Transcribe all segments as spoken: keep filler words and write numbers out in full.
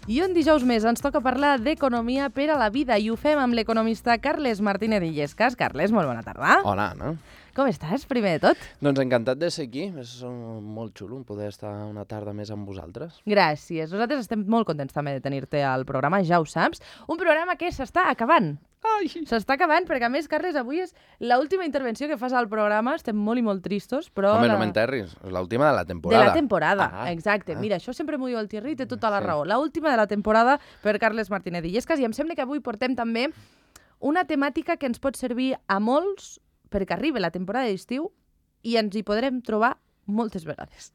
I un dijous més ens toca parlar d'economia per a la vida i ho fem amb l'economista Carles Martínez Illescas. Carles, molt bona tarda. Hola, Anna. Com estàs, primer de tot? Doncs encantat de ser aquí. És molt xulo poder estar una tarda més amb vosaltres. Gràcies. Nosaltres estem molt contents també de tenir-te al programa, ja ho saps. Un programa que s'està acabant. Ai! S'està acabant, perquè a més, Carles, avui és l'última intervenció que fas al programa. Estem molt i molt tristos, però... Home, la... no m'enterris. És l'última de la temporada. De la temporada, ah, exacte. Ah. Mira, això sempre m'ho diu el Thierry i té tota la Sí. raó. L'última de la temporada per Carles Martínez Illescas, i em sembla que avui portem també una temàtica que ens pot servir a molts perquè arribi la temporada d'estiu i ens hi podrem trobar moltes vegades.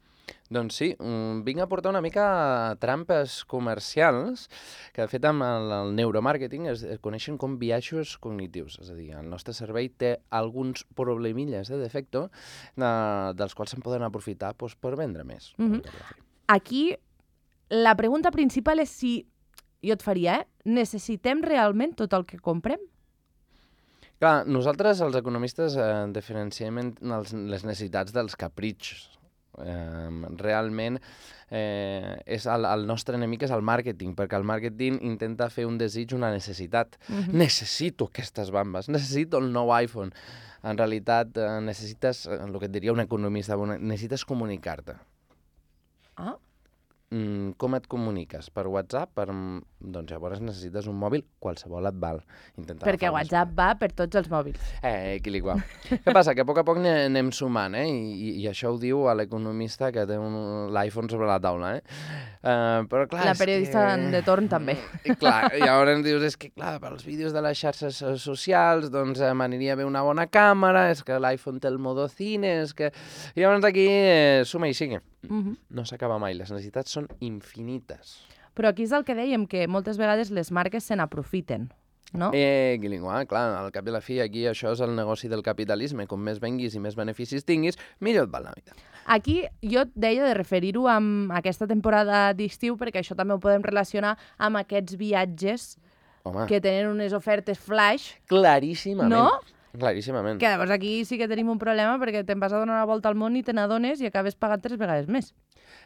Doncs sí, vinc a portar una mica trampes comercials que, de fet, amb el, el neuromàrqueting es, es coneixen com biaixos cognitius. És a dir, el nostre cervell té alguns problemilles de defecte de, dels quals se'n poden aprofitar doncs, per vendre més. Mm-hmm. Aquí, la pregunta principal és si, jo et faria, eh? Necessitem realment tot el que comprem? Clar, nosaltres, els economistes, eh, diferenciem els, les necessitats dels capritxos. Eh, realment eh, és el, el nostre enemic és el màrqueting, perquè el màrqueting intenta fer un desig una necessitat. Mm-hmm. Necessito aquestes bambes, necessito el nou iPhone. En realitat eh, necessites, el que et diria un economista, necessites comunicar-te. Ah? Mm, com et comuniques? Per WhatsApp? Per... Doncs llavors necessites un mòbil, qualsevol et val. Intentar Perquè WhatsApp va per tots els mòbils. Eh, equiliquar. Què passa? Que a poc a poc anem sumant, eh? I, i això ho diu a l'economista que té l'iPhone sobre la taula, eh? Uh, però clar, la periodista que... de torn també. I clar, i llavors ens dius, és que clar, pels vídeos de les xarxes socials, doncs eh, m'aniria bé una bona càmera, és que l'iPhone té el modo cine, és que... I llavors aquí eh, suma i sigue. Mm-hmm. No s'acaba mai, les necessitats són infinites. Però aquí és el que dèiem, que moltes vegades les marques se n'aprofiten, no? Eh, Guilingua, clar, al cap i a la fi, aquí això és el negoci del capitalisme. Com més venguis i més beneficis tinguis, millor et val la vida. Aquí jo et deia de referir-ho amb aquesta temporada d'estiu, perquè això també ho podem relacionar amb aquests viatges Home. Que tenen unes ofertes flash. Claríssimament. No? Claríssimament. Que llavors aquí sí que tenim un problema perquè te'n vas a donar una volta al món i te n'adones i acabes pagant tres vegades més.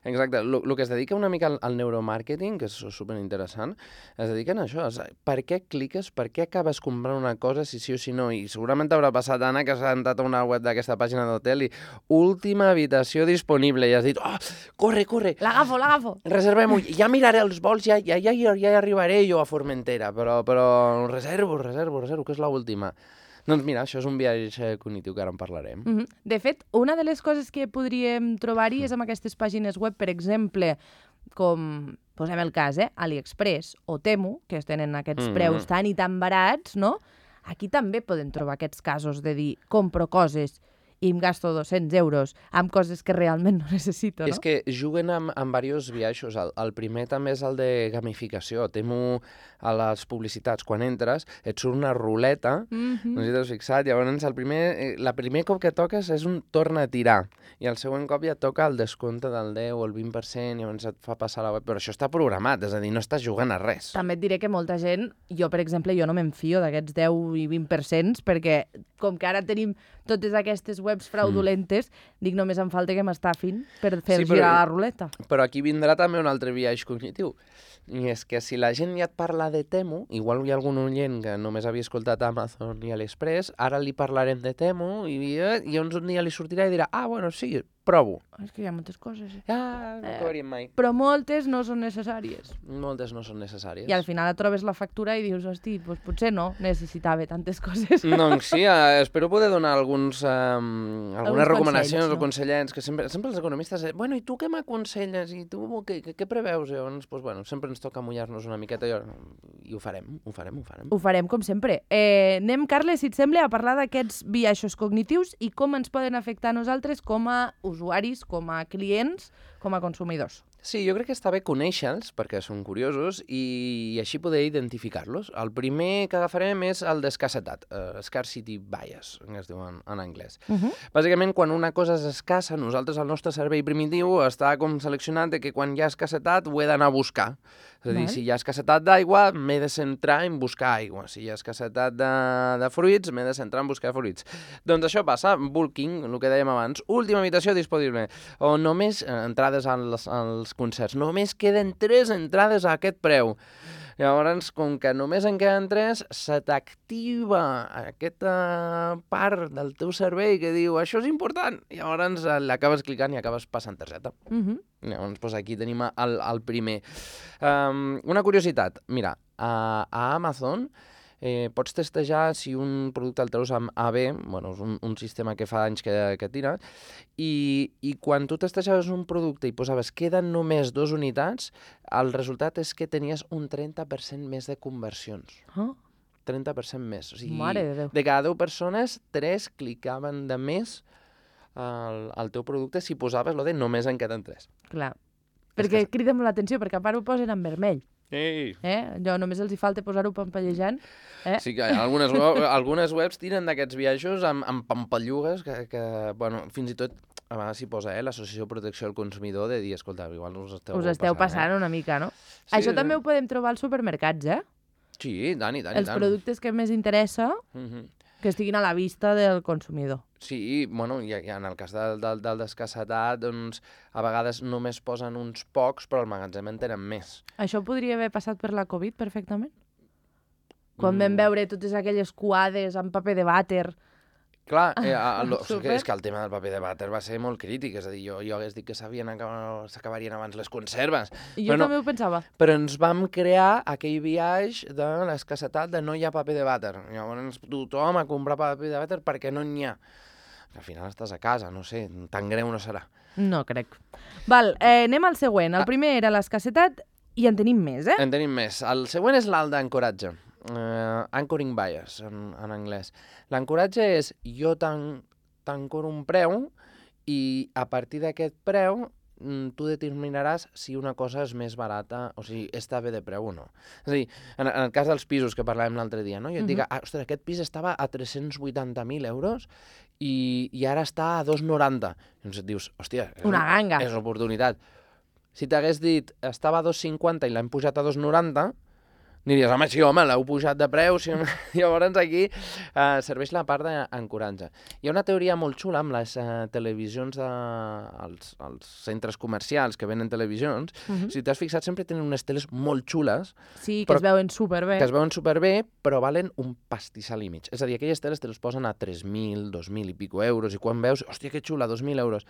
Exacte. El que es dedica una mica al, al neuromàrqueting, que és superinteressant, es dediquen a això. És, per què cliques, per què acabes comprant una cosa si sí o si no? I segurament t'haurà passat, Anna, que has entrat a una web d'aquesta pàgina d'hotel i última habitació disponible i has dit, oh, corre, corre. L'agafo, l'agafo. Reservem-ho. Ja miraré els vols, ja, ja, ja, ja arribaré jo a Formentera, però, però reservo, reservo, reservo, que és l'última. Doncs mira, això és un viatge cognitiu que ara en parlarem. Mm-hmm. De fet, una de les coses que podríem trobar-hi és amb aquestes pàgines web, per exemple, com, posem el cas, eh? AliExpress o Temu, que tenen aquests mm-hmm. preus tan i tan barats, no? Aquí també podem trobar aquests casos de dir, compro coses i em gasto dos-cents euros amb coses que realment no necessito, no? És que juguen amb, amb diversos biaixos. El, el primer també és el de gamificació. Temo a les publicitats. Quan entres, et surt una ruleta, mm-hmm. no sé si t'has fixat, llavors el primer, la primer cop que toques és un torna a tirar, i el següent cop ja toca el descompte del deu o el vint per cent, i llavors et fa passar la web. Però això està programat, és a dir, no estàs jugant a res. També et diré que molta gent, jo per exemple, jo no m'enfio d'aquests deu i vint per cent, perquè com que ara tenim totes aquestes webs fraudulentes, mm. dic, només em falta que m'estafin per fer sí, però, girar la ruleta. Però aquí vindrà també un altre biaix cognitiu. I és que si la gent ja et parla de Temu, igual hi ha algun oient que només havia escoltat Amazon i AliExpress, ara li parlarem de Temu i, eh, i llavors un dia li sortirà i dirà, ah, bueno, sí, provo. És que hi ha moltes coses. Eh? Ah, no acabaríem mai. Però moltes no són necessàries. Moltes no són necessàries. I al final et trobes la factura i dius, hosti, doncs potser no necessitava tantes coses. Doncs sí, eh, espero poder donar alguns, eh, algunes alguns recomanacions consells, no? o consellets, que sempre, sempre els economistes, eh, bueno, i tu què m'aconselles? I tu què, què, què preveus? I llavors, doncs, bueno, sempre ens toca mullar-nos una miqueta i, i ho farem, ho farem, ho farem. Ho farem, com sempre. Eh, anem, Carles, si et sembla, a parlar d'aquests biaixos cognitius i com ens poden afectar a nosaltres com a usuaris, com a clients, com a consumidors. Sí, jo crec que està bé conèixer-los, perquè són curiosos, i així poder identificar-los. El primer que agafarem és el d'escassetat, uh, scarcity bias, que es diu en, en anglès. Uh-huh. Bàsicament, quan una cosa és escassa, nosaltres, el nostre cervell primitiu, està com seleccionat de que quan hi ha escassetat ho he d'anar a buscar. És a dir, si hi ha escassetat d'aigua, m'he de centrar en buscar aigua. Si hi ha escassetat de, de fruits, m'he de centrar en buscar fruits. Doncs això passa, bulking, el que dèiem abans, última habitació disponible, o només entrades vegades als, als concerts. Només queden tres entrades a aquest preu. Llavors, com que només en queden tres, se t'activa aquesta part del teu cervell que diu això és important. Llavors l'acabes clicant i acabes passant targeta. Mhm. Llavors, doncs aquí tenim el, el primer. Um, una curiositat. Mira, a, a Amazon eh, pots testejar si un producte el treus amb A B, bueno, és un, un sistema que fa anys que, que tira, i, i quan tu testejaves un producte i posaves queden només dues unitats, el resultat és que tenies un trenta per cent més de conversions. Oh. trenta per cent més. O sigui, Mare de Déu. de cada deu persones, tres clicaven de més al, al teu producte si posaves lo de només en queden tres. Clar. Perquè crida molt l'atenció, perquè a part ho posen en vermell. Ei! Eh? Allò només els hi falta posar-ho pampallejant. Eh? Sí que algunes, web, algunes webs tiren d'aquests viatges amb, amb pampallugues que, que, bueno, fins i tot a vegades s'hi posa eh, l'Associació de Protecció al Consumidor de dir, escolta, igual us esteu Us esteu passant, passant eh? una mica, no? Sí, Això sí. també ho podem trobar als supermercats, eh? Sí, tant i tant, Els i tant. productes que més interessa Mhm. que estiguin a la vista del consumidor. Sí, bueno, i, i en el cas del, del, del descassetat, doncs, a vegades només posen uns pocs, però al magatzem en tenen més. Això podria haver passat per la Covid perfectament? Quan vam Mm. veure totes aquelles coades amb paper de vàter. Clar, eh, a, a, lo, Súper. és que el tema del paper de vàter va ser molt crític, és a dir, jo, jo hagués dit que s'acabarien abans les conserves. I jo Però no, també ho pensava. Però ens vam crear aquell viatge de l'escassetat de no hi ha paper de vàter. Llavors tothom a comprar paper de vàter perquè no n'hi ha. Al final estàs a casa, no sé, tan greu no serà. No crec. Val, eh, anem al següent. El primer era l'escassetat i en tenim més, eh? En tenim més. El següent és l'alt d'ancoratge. Uh, anchoring bias, en, en anglès. L'ancoratge és jo t'ancoro un preu i a partir d'aquest preu tu determinaràs si una cosa és més barata, o sigui, està bé de preu o no. És a dir, en, en el cas dels pisos que parlàvem l'altre dia, no? Jo et dic, ah, ostres, aquest pis estava a tres-cents vuitanta mil euros i, i ara està a dos cents noranta. Llavors et dius, hòstia, és Una ganga. És l'oportunitat. Si t'hagués dit, estava a dos cents cinquanta i l'hem pujat a dos cents noranta, diries, home, sí, home, l'heu pujat de preu. Sí, llavors aquí eh, serveix la part d'ancoratge. Hi ha una teoria molt xula amb les eh, televisions de... als, als centres comercials que venen televisions. Mhm. Si t'has fixat, sempre tenen unes teles molt xules, Sí, que però- es veuen superbé. que es veuen superbé, però valen un pastissal i mig. És a dir, aquelles teles te les posen a tres mil, dos mil i pico euros, i quan veus, hòstia, que xula, dos mil euros.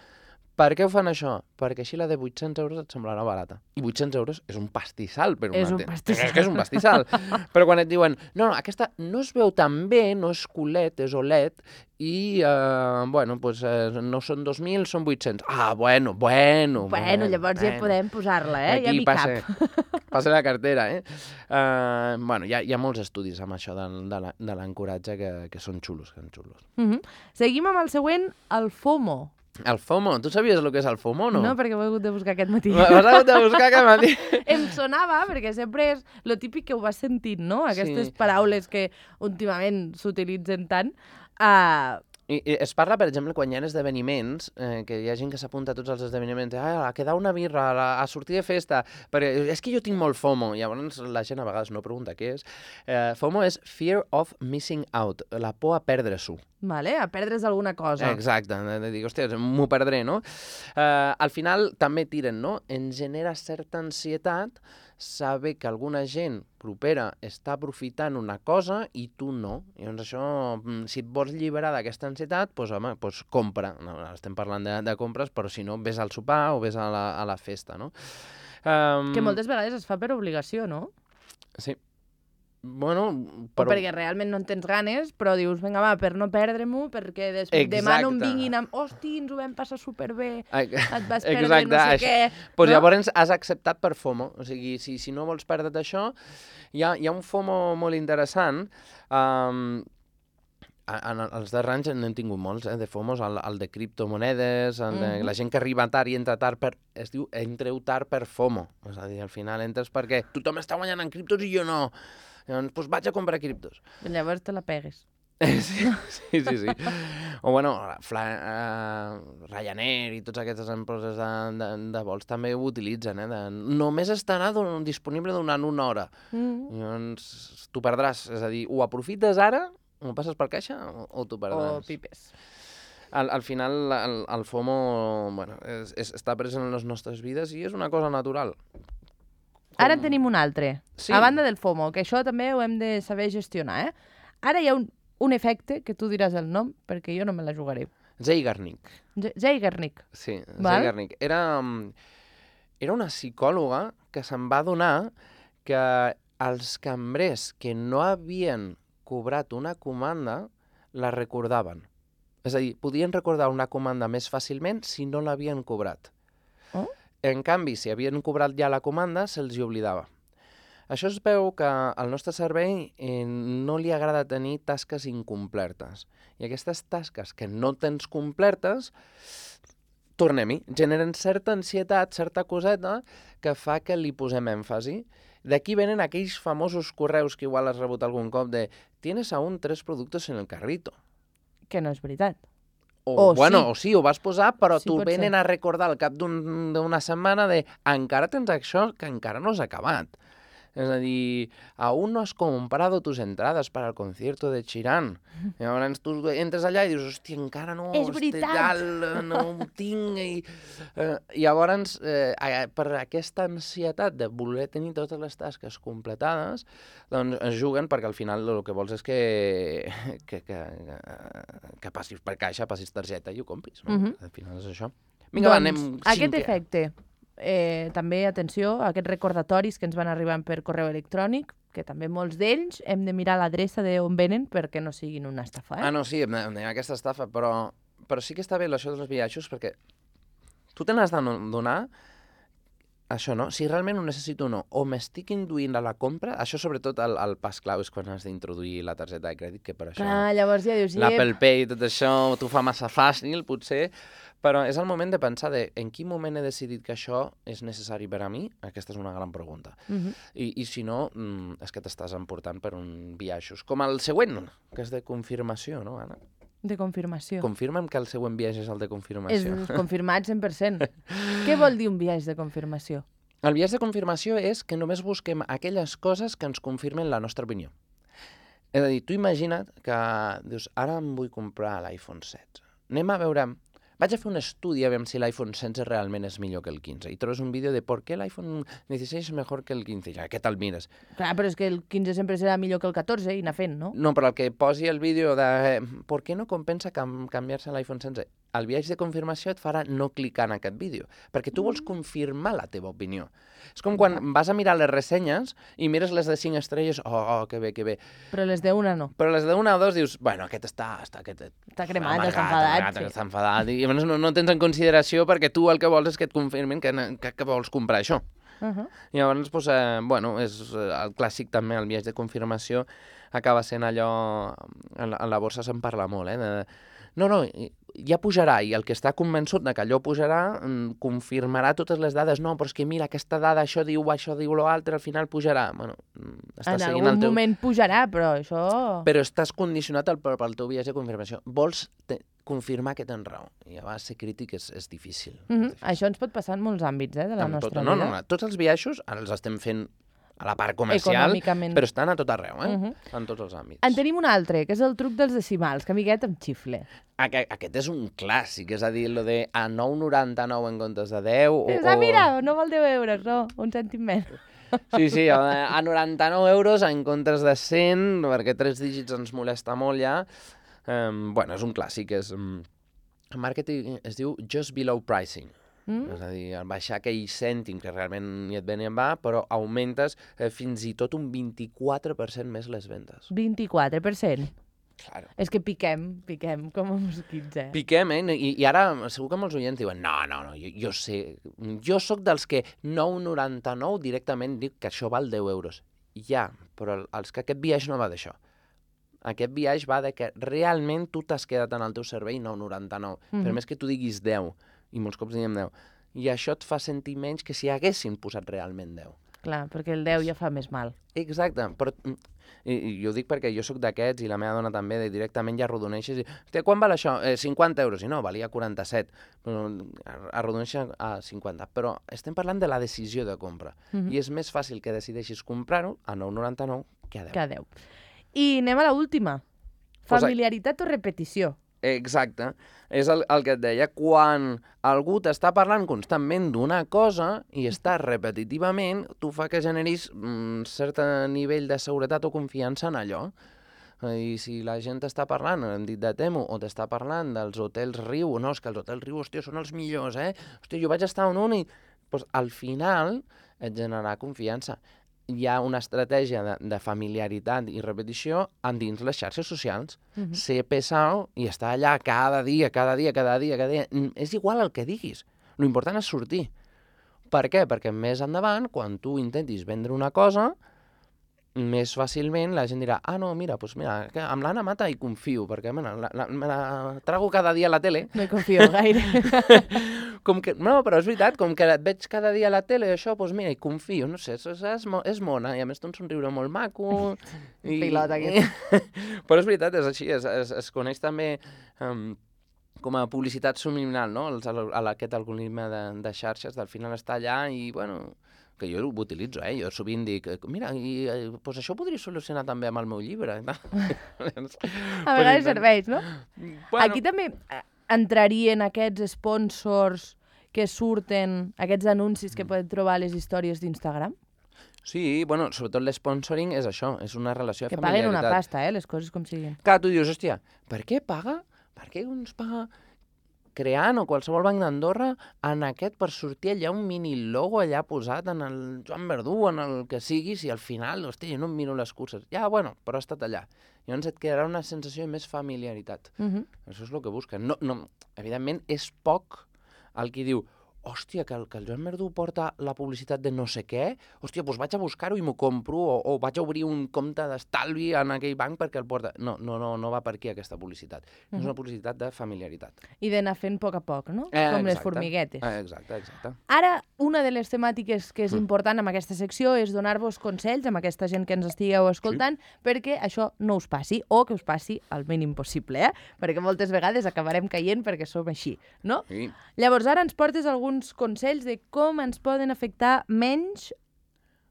Per què ho fan això? Perquè així la de vuit-cents euros et semblarà barata. I vuit-cents euros és un pastissal per una És un tele. pastissal. És que és un pastissal. Però quan et diuen, no, no, aquesta no es veu tan bé, no és C U L E D, és O L E D, i, eh, bueno, pues, eh, no són dos mil, són vuit-cents. Ah, bueno, bueno. Bueno, llavors ja podem posar-la, eh? Ja Aquí m'hi passe, cap. passa la cartera, eh? Uh, bueno, hi ha, hi ha molts estudis amb això de, de la- de l'ancoratge que, que són xulos, que són xulos. Mhm. Seguim amb el següent, el FOMO. El FOMO, tu sabies el que és el FOMO o no? No, perquè ho he hagut de buscar aquest matí. M'has hagut de buscar aquest matí. Em sonava, perquè sempre és lo típic que ho vas sentint, no? Aquestes Sí. paraules que últimament s'utilitzen tant. Uh, I, I es parla, per exemple, quan hi ha esdeveniments, eh, que hi ha gent que s'apunta a tots els esdeveniments, ah, a quedar una birra, a, a sortir de festa, perquè és que jo tinc molt FOMO, i llavors la gent a vegades no pregunta què és. Eh, FOMO és Fear of Missing Out, la por a perdre-s'ho. vale? A perdre's alguna cosa. Exacte, de, de dir, hòstia, m'ho perdré, no? Uh, al final també tiren, no? Ens genera certa ansietat saber que alguna gent propera està aprofitant una cosa i tu no. Llavors això, mm, si et vols alliberar d'aquesta ansietat, doncs home, doncs compra. No, estem parlant de, de compres, però si no, vés al sopar o vés a la, a la festa, no? Um, Que moltes vegades es fa per obligació, no? Sí. Bueno, Però... O perquè realment no en tens ganes, però dius, vinga, va, per no perdre-m'ho, perquè des... Exacte. demà no em vinguin amb... Hosti, ens ho vam passar superbé, Ai, et vas perdre Exacte, no sé això. què... Pues no? llavors has acceptat per FOMO. O sigui, si, si no vols perdre't això, hi ha, hi ha un FOMO molt interessant. Um, en els darrers anys n'hem tingut molts, eh, de FOMOs, el, el de criptomonedes, el de, Mhm. la gent que arriba tard i entra tard per... Es diu entreu tard per FOMO. És a dir, al final entres perquè tothom està guanyant en criptos i jo no. Llavors, doncs vaig a comprar criptos. Llavors te la pegues. Sí, sí, sí. sí. O, bueno, Fla, uh, Ryanair i totes aquestes empreses de, de, de vols també ho utilitzen, eh? De, només estarà don, disponible durant una hora. Mm. Llavors, tu perdràs. És a dir, o aprofites ara, o passes per caixa, o, o tu O perdràs. pipes. Al, al final, el, el FOMO bueno, és, és, està present en les nostres vides i és una cosa natural. Com... Ara en tenim un altre. Sí. A banda del FOMO, que això també ho hem de saber gestionar, eh? Ara hi ha un, un efecte, que tu diràs el nom, perquè jo no me la jugaré. Zeigarnik. Zeigarnik. Sí, Val? Zeigarnik. Era, era una psicòloga que se'n va adonar que els cambrers que no havien cobrat una comanda la recordaven. És a dir, podien recordar una comanda més fàcilment si no l'havien cobrat. Oh? En canvi, si havien cobrat ja la comanda, se'ls hi oblidava. Això es veu que al nostre cervell eh, no li agrada tenir tasques incomplertes. I aquestes tasques que no tens complertes, tornem-hi, generen certa ansietat, certa coseta, que fa que li posem èmfasi. D'aquí venen aquells famosos correus que igual has rebut algun cop de «Tienes aún tres productos en el carrito». Que no és veritat. O, O bueno, sí. o sí, ho vas posar, però Sí, t'ho pot venen ser. a recordar al cap d'un- d'una setmana de «Encara tens això que encara no has acabat». És a dir, aún no has comprado tus entradas para el concierto de Chirán. I llavors tu entres allà i dius, hòstia, encara no... És este veritat! Tal, no ho tinc. I, eh, i llavors, eh, per aquesta ansietat de voler tenir totes les tasques completades, doncs es juguen perquè al final el que vols és que, que, que, que passis per caixa, passis targeta i ho compris. No? Mhm. Al final és això. Vinga, va, Doncs, anem aquest cinquè. efecte, eh, també, atenció, aquests recordatoris que ens van arribant per correu electrònic, que també molts d'ells hem de mirar l'adreça d'on venen perquè no siguin una estafa, eh? Ah, no, sí, hem de- hem de dir aquesta estafa, però, però sí que està bé això dels viatges perquè tu te n'has de donar això, no? Si realment ho necessito o no, o m'estic induint a la compra, això sobretot el, el pas clau és quan has d'introduir la targeta de crèdit, que per això Clar, llavors ja dius, l'Apple Pay i tot això t'ho fa massa fàcil, potser, però és el moment de pensar de en quin moment he decidit que això és necessari per a mi? Aquesta és una gran pregunta. Mhm. I, i si no, mm, és que t'estàs emportant per un viatge. Com el següent, que és de confirmació, no, Anna? de confirmació. Confirma'm que el següent viatge és el de És confirmació. confirmat cent per cent. Què vol dir un viatge de confirmació? El viatge de confirmació és que només busquem aquelles coses que ens confirmen la nostra opinió. És a dir, tu imagina't que dius, ara em vull comprar l'iPhone setze. Anem a veure... Vaig a fer un estudi a veure si l'iPhone setze realment és millor que el quinze. I trobes un vídeo de per què l'iPhone dieciséis és millor que el quinze. Ja, què te'l mires? Clar, però és que el quinze sempre serà millor que el catorze i anar fent, no? No, però el que posi el vídeo de eh, per què no compensa cam canviar-se a l'iPhone setze? El viatge de confirmació et farà no clicar en aquest vídeo, perquè tu vols confirmar la teva opinió. És com quan vas a mirar les ressenyes i mires les de cinc estrelles, oh, oh que bé, que bé. Però les d'una no. Però les d'una o dos dius, bueno, aquest està... Està, aquest, Està cremat, amargat, està enfadat, amargat, sí. està enfadat. I llavors no, no tens en consideració perquè tu el que vols és que et confirmin que, que, que vols comprar això. Uh -huh. I llavors, doncs, eh, bueno, és eh, el clàssic també, el viatge de confirmació acaba sent allò... En la, en la borsa se'n parla molt, eh? De, no, no, ja pujarà, i el que està convençut de que allò pujarà mm, confirmarà totes les dades. No, però és que mira, aquesta dada, això diu, això diu l'altre, al final pujarà. Bueno, estàs En seguint algun el teu... moment pujarà, però això... Però estàs condicionat al, pel teu viatge de confirmació. Vols te, confirmar que tens raó. I llavors ser crític és, és difícil. Uh -huh. és difícil. Això ens pot passar en molts àmbits, eh, de la Amb nostra tot, no, vida. no, no, tots els viatges ara els estem fent a la part comercial, Econòmicament. però estan a tot arreu, eh? Uh -huh. En tots els àmbits. En tenim un altre, que és el truc dels decimals, que a mi aquest em xifle. Aquest, aquest és un clàssic, és a dir, lo de a nou coma noranta-nou en comptes de deu... O, Dius, ah, mira, no vol deu euros, no, un cèntim més. Sí, sí, a, a noranta-nou euros en comptes de cent, perquè tres dígits ens molesta molt ja. Um, bueno, és un clàssic, és... Um, en màrqueting es diu just below pricing. Mm? És a dir, baixar aquell cèntim que realment ni et ve ni en va, però augmentes eh, fins i tot un vint-i-quatre per cent més les vendes. vint-i-quatre per cent. Claro. És que piquem, piquem com a mosquits, eh? Piquem, eh? I, I ara segur que molts oients diuen no, no, no, jo, jo sé, jo sóc dels que nou coma noranta-nou directament dic que això val deu euros. Ja, però els que aquest viatge no va d'això. Aquest viatge va de que realment tu t'has quedat en el teu servei nou coma noranta-nou. Mm -hmm. Per més que tu diguis deu, i molts cops diem deu, i això et fa sentir menys que si haguessin posat realment deu. Clar, perquè el deu ja fa més mal. Exacte, però i, i jo ho dic perquè jo sóc d'aquests i la meva dona també, de directament ja arrodoneixes i hòstia, quan val això? Eh, cinquanta euros. I no, valia quaranta-set. Però arrodoneixes a cinquanta. Però estem parlant de la decisió de compra. Mm-hmm. I és més fàcil que decideixis comprar-ho a nou coma noranta-nou que a deu. Que a deu. I anem a l'última. Pues Familiaritat o repetició? Exacte. És el, el que et deia. Quan algú t'està parlant constantment d'una cosa i està repetitivament, tu fa que generis un cert nivell de seguretat o confiança en allò. I si la gent t'està parlant, hem dit de Temu, o t'està parlant dels hotels Riu, no, és que els hotels Riu, hòstia, són els millors, eh? Hòstia, jo vaig estar en un i... Pues, al final et generarà confiança. Hi ha una estratègia de, de familiaritat i repetició dins les xarxes socials. Uh-huh. Ser pesau i estar allà cada dia, cada dia, cada dia, cada dia. És igual el que diguis. L'important és sortir. Per què? Perquè més endavant, quan tu intentis vendre una cosa, més fàcilment la gent dirà, ah, no, mira, pues mira, que amb l'Anna Mata hi confio, perquè me la, la, me la trago cada dia a la tele. No hi confio gaire. Com que, no, però és veritat, com que et veig cada dia a la tele, això, doncs mira, hi confio, no sé, és, és, és mona, i a més té un somriure molt maco. I, Pilot, aquest. Però és veritat, és així, es, es, es coneix també um, com a publicitat subliminal, no? El, el, aquest algoritme de, de xarxes, del final està allà i, bueno, que jo ho utilitzo, eh? Jo sovint dic, mira, i, pues això ho podria solucionar també amb el meu llibre. No? A vegades serveix, no? Bueno. Aquí també entrarien aquests sponsors que surten, aquests anuncis que poden trobar a les històries d'Instagram? Sí, bueno, sobretot l'sponsoring és això, és una relació de que familiaritat. Que paguen una pasta, eh, les coses com siguin. Clar, tu dius, hòstia, per què paga? Per què uns paga creant o qualsevol banc d'Andorra en aquest per sortir allà un mini logo allà posat en el Joan Verdú, en el que sigui, si al final, hòstia, jo no em miro les curses. Ja, bueno, però ha estat allà. Llavors et quedarà una sensació de més familiaritat. Uh-huh. Això és el que busquen. No, no, evidentment, és poc el qui diu, hòstia, que el, que el Joan Verdú porta la publicitat de no sé què, hòstia, doncs vaig a buscar-ho i m'ho compro, o, o vaig a obrir un compte d'estalvi en aquell banc perquè el porta... No, no, no, no va per aquí aquesta publicitat. Uh-huh. És una publicitat de familiaritat. I d'anar fent a poc a poc, no? Eh, Com exacte. les formiguetes. Eh, exacte, exacte. Ara, una de les temàtiques que és important en aquesta secció és donar-vos consells amb aquesta gent que ens estigueu escoltant, sí, perquè això no us passi, o que us passi el mínim possible, eh? Perquè moltes vegades acabarem caient perquè som així, no? Sí. Llavors, ara ens portes algun consells de com ens poden afectar menys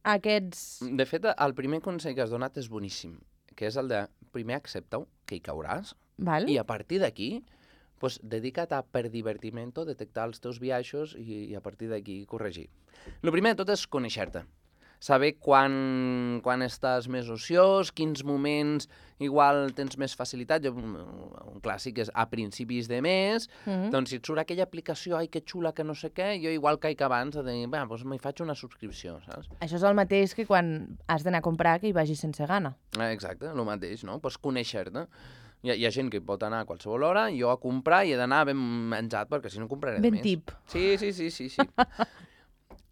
aquests... De fet, el primer consell que has donat és boníssim, que és el de primer accepta-ho, que hi cauràs, Val. I a partir d'aquí, pues, dedica't a, per divertimento, detectar els teus biaixos i, i a partir d'aquí corregir. El primer de tot és conèixer-te. Saber quan, quan estàs més ociós, quins moments igual tens més facilitat. Jo, un clàssic és a principis de mes, mm-hmm. doncs si et surt aquella aplicació, ai, que xula, que no sé què, jo igual caic abans de dir, bé, doncs m'hi faig una subscripció, saps? Això és el mateix que quan has d'anar a comprar que hi vagis sense gana. Exacte, el mateix, no? Pues conèixer-te. Hi ha, hi ha gent que hi pot anar a qualsevol hora, jo a comprar i he d'anar ben menjat, perquè si no compraré ben més. Ben tip. Sí, sí, sí, sí, sí.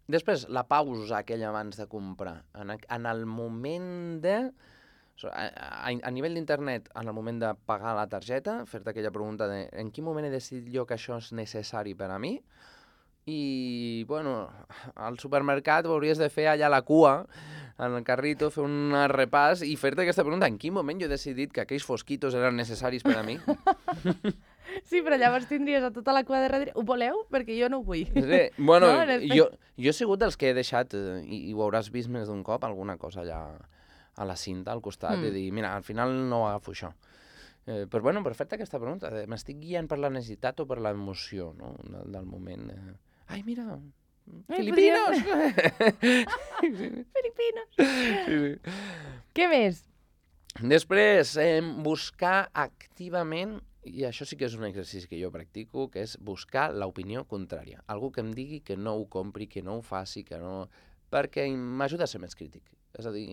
Després, la pausa aquella abans de comprar. En, en el moment de... A, a, a nivell d'internet, en el moment de pagar la targeta, fer-te aquella pregunta de en quin moment he decidit jo que això és necessari per a mi? I, bueno, al supermercat ho hauries de fer allà a la cua, en el carrito, fer un repàs i fer-te aquesta pregunta. En quin moment jo he decidit que aquells fosquitos eren necessaris per a mi? Sí, però llavors tindries a tota la cua de darrere. Ho voleu? Perquè jo no ho vull. Sí, bueno, no, jo, jo he sigut dels que he deixat, i, i ho hauràs vist més d'un cop, alguna cosa allà a la cinta, al costat, mm. i dir, mira, al final no agafo això. Eh, però, bueno, per fer-te aquesta pregunta, m'estic guiant per la necessitat o per l'emoció, no?, del, del moment. Eh. Ai, mira, Ai, Filipinos! Filipinos! Sí, sí. Què més? Després, eh, buscar activament, i això sí que és un exercici que jo practico, que és buscar l'opinió contrària. Algú que em digui que no ho compri, que no ho faci, que no... perquè m'ajuda a ser més crític. És a dir,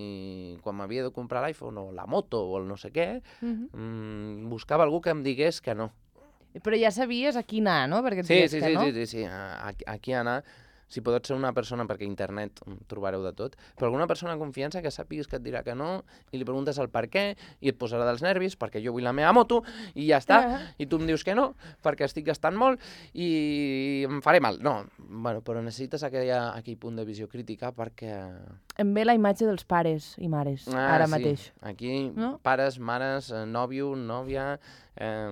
quan m'havia de comprar l'iPhone o la moto o el no sé què, uh-huh. mmm, buscava algú que em digués que no. Però ja sabies a qui anar, no? Perquè et sí, digués sí, que sí, no. Sí, sí, sí, a, a qui anar. Si pot ser una persona, perquè a internet trobareu de tot, però alguna persona de confiança que sàpigues que et dirà que no i li preguntes el per què i et posarà dels nervis perquè jo vull la meva moto i ja està, uh-huh. i tu em dius que no perquè estic gastant molt i em faré mal. No, bueno, però necessites aquella, aquell punt de visió crítica perquè... Em ve la imatge dels pares i mares, ah, ara sí. mateix. Aquí, no? Pares, mares, nòvio, nòvia... Eh,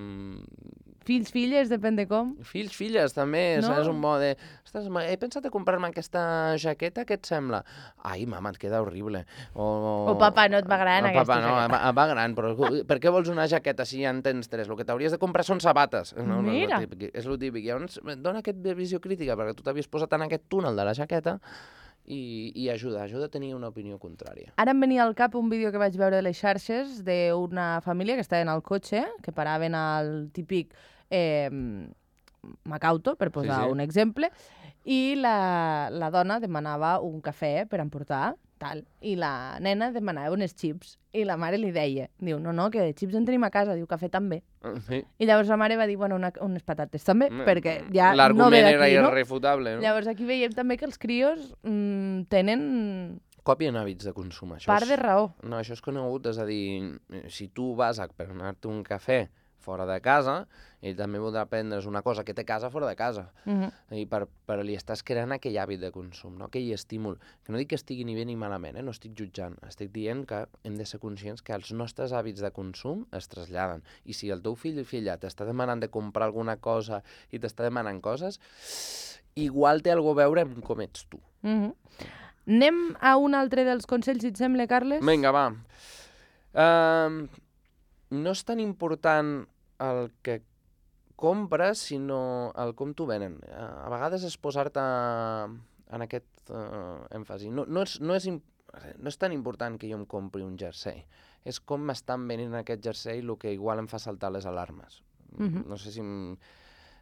Fills, filles, depèn de com. Fills, filles, també, No? és un mode... Ostres, ma- he pensat a comprar-me aquesta jaqueta, què et sembla? Ai, mama, et queda horrible. O, O, papa, no et va gran o, aquesta papa, no, jaqueta. va, va gran, però per què vols una jaqueta si ja en tens tres? El que t'hauries de comprar són sabates. No, no, Mira. és el típic. És el típic. Llavors, dona aquesta visió crítica, perquè tu t'havies posat en aquest túnel de la jaqueta i, i ajuda, ajuda a tenir una opinió contrària. Ara em venia al cap un vídeo que vaig veure a les xarxes d'una família que estaven al cotxe, que paraven al típic eh, Macauto, per posar Sí, sí. un exemple, i la, la dona demanava un cafè per emportar, tal, i la nena demanava unes xips, i la mare li deia, diu, no, no, que de xips en tenim a casa, diu, cafè també. Sí. I llavors la mare va dir, bueno, una, unes patates també, perquè ja no ve L'argument era d'aquí, no? irrefutable, no? Llavors aquí veiem també que els crios mm, tenen Copien hàbits de consum, això. part és... de raó. No, això és conegut, és a dir, si tu vas a per anar-te un cafè fora de casa, ell també voldrà prendre's una cosa que té a casa fora de casa. Mhm. I per, per li estàs creant aquell hàbit de consum, no? Aquell estímul. Que no dic que estigui ni bé ni malament, eh? No estic jutjant. Estic dient que hem de ser conscients que els nostres hàbits de consum es traslladen. I si el teu fill o filla t'està demanant de comprar alguna cosa i t'està demanant coses, igual té alguna a veure amb com ets tu. Mhm. Anem a un altre dels consells, si et sembla, Carles? Vinga, va. Uh, no és tan important el que compres, sinó el com t'ho venen. Uh, a vegades és posar-te en aquest uh, èmfasi. No, no, és, no, és imp... no és tan important que jo em compri un jersei. És com m'estan venint aquest jersei el que igual em fa saltar les alarmes. Mhm. No sé si... Em...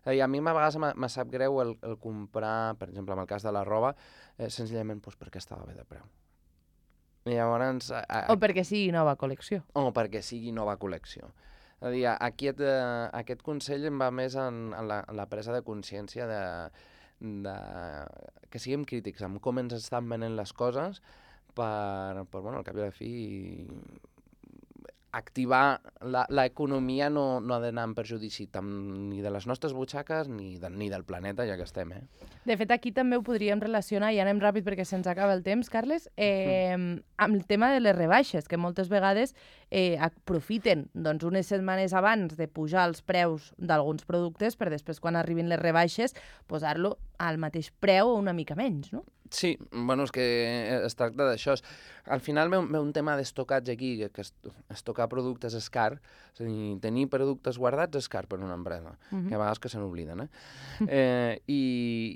I a mi a vegades me, me sap greu el, el comprar, per exemple, en el cas de la roba, eh, senzillament doncs, perquè estava bé de preu. I llavors... A, a, O perquè sigui nova col·lecció. o perquè sigui nova col·lecció. És a dir, aquest, eh, aquest consell em va més en, en, la, en la presa de consciència de, de que siguem crítics amb com ens estan venent les coses per, per bueno, al cap i a la fi, activar l'economia no, no ha d'anar en perjudici tant ni de les nostres butxaques ni, de, ni del planeta, ja que estem, eh? De fet, aquí també ho podríem relacionar, i anem ràpid perquè se'ns acaba el temps, Carles, eh, amb el tema de les rebaixes, que moltes vegades eh, aprofiten doncs, unes setmanes abans de pujar els preus d'alguns productes per després, quan arribin les rebaixes, posar-lo al mateix preu o una mica menys, no? Sí, bueno, és que es tracta d'això. Al final ve un, ve un tema d'estocatge aquí, que, que estocar productes és car, és a dir, tenir productes guardats és car per una empresa, uh-huh. que a vegades que se n'obliden, eh? eh i,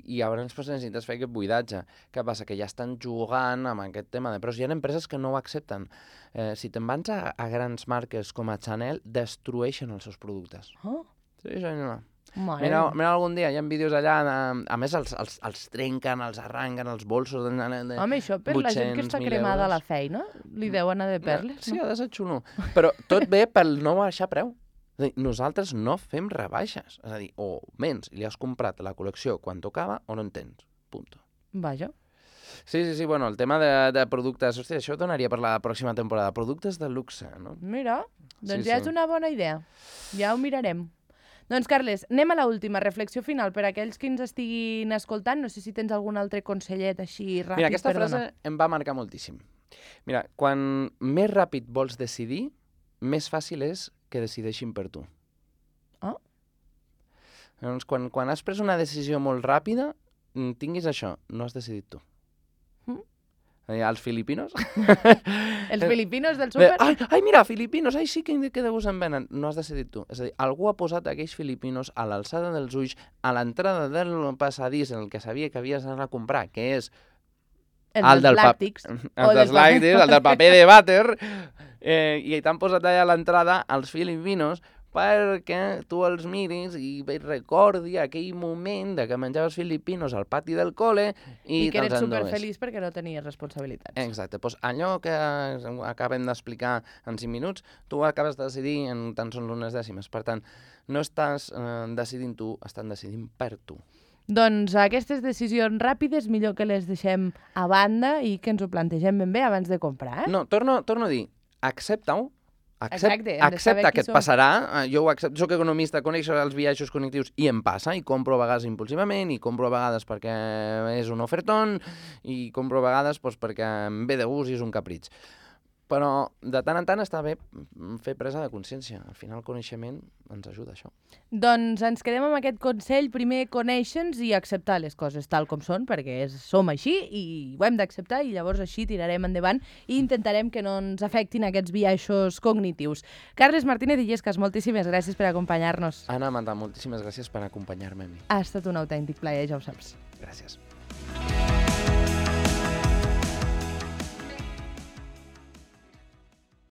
I llavors pues, necessites fer aquest buidatge. Què passa? Que ja estan jugant amb aquest tema de preus. Hi ha empreses que no ho accepten. Eh, si te'n vas a, a grans marques com a Chanel, destrueixen els seus productes. Oh, Sí, senyor. mare Mira, meva. mira algun dia, hi ha vídeos allà, de, a més els, els, els trenquen, els arranquen, els bolsos de, de Home, això per la gent que està cremada a la feina, li deu anar de perles, Sí, no? ha de ser xulo. Però tot ve pel no baixar preu. És a dir, nosaltres no fem rebaixes. És a dir, o menys, li has comprat la col·lecció quan tocava o no en tens. Punto. Vaja. Sí, sí, sí, bueno, el tema de, de productes... Hòstia, això donaria per la pròxima temporada. Productes de luxe, no? Mira, doncs Sí, ja sí. és una bona idea. Ja ho mirarem. Doncs, Carles, anem a l'última reflexió final per a aquells que ens estiguin escoltant. No sé si tens algun altre consellet així ràpid Mira, aquesta per frase donar. em va marcar moltíssim. Mira, quan més ràpid vols decidir, més fàcil és que decideixin per tu. Ah. Llavors, quan, quan has pres una decisió molt ràpida, mm, tinguis això, no has decidit tu. Mm. Eh, Els filipinos... Els filipinos del Bé, súper? ai, ai, mira, filipinos, ai, sí que, que de gust en venen. No has decidit tu. És a dir, algú ha posat aquells filipinos a l'alçada dels ulls, a l'entrada del passadís en el que sabia que havies d'anar a comprar, que és Els el dels del pap- làctics. el O dels del paper. làctics, el del paper de vàter, eh, i t'han posat allà a l'entrada els filipinos perquè tu els miris i recordi aquell moment de que menjaves filipinos al pati del col·le i, I que eres te'ls endues. superfeliç perquè no tenies responsabilitats. Exacte, doncs allò que acabem d'explicar en cinc minuts, tu acabes de decidir en tan sols unes dècimes. Per tant, no estàs eh, decidint tu, estan decidint per tu. Doncs aquestes decisions ràpides millor que les deixem a banda i que ens ho plantegem ben bé abans de comprar, eh? No, torno, torno a dir, accepta-ho, Accept, Exacte, hem de saber accepta qui que et som. passarà, eh, jo ho accepto, soc economista, conec els viatges connectius i em passa, i compro a vegades impulsivament, i compro a vegades perquè és un ofertón, i compro a vegades doncs, perquè em ve de gust i és un capritx. però de tant en tant està bé fer presa de consciència. Al final el coneixement ens ajuda a això. Doncs ens quedem amb aquest consell, primer conèixer-nos i acceptar les coses tal com són, perquè és, som així i ho hem d'acceptar i llavors així tirarem endavant i intentarem que no ens afectin aquests biaixos cognitius. Carles Martínez Illescas, moltíssimes gràcies per acompanyar-nos. Anna Mata, moltíssimes gràcies per acompanyar-me a mi. Ha estat un autèntic plaer, ja ho saps. Gràcies.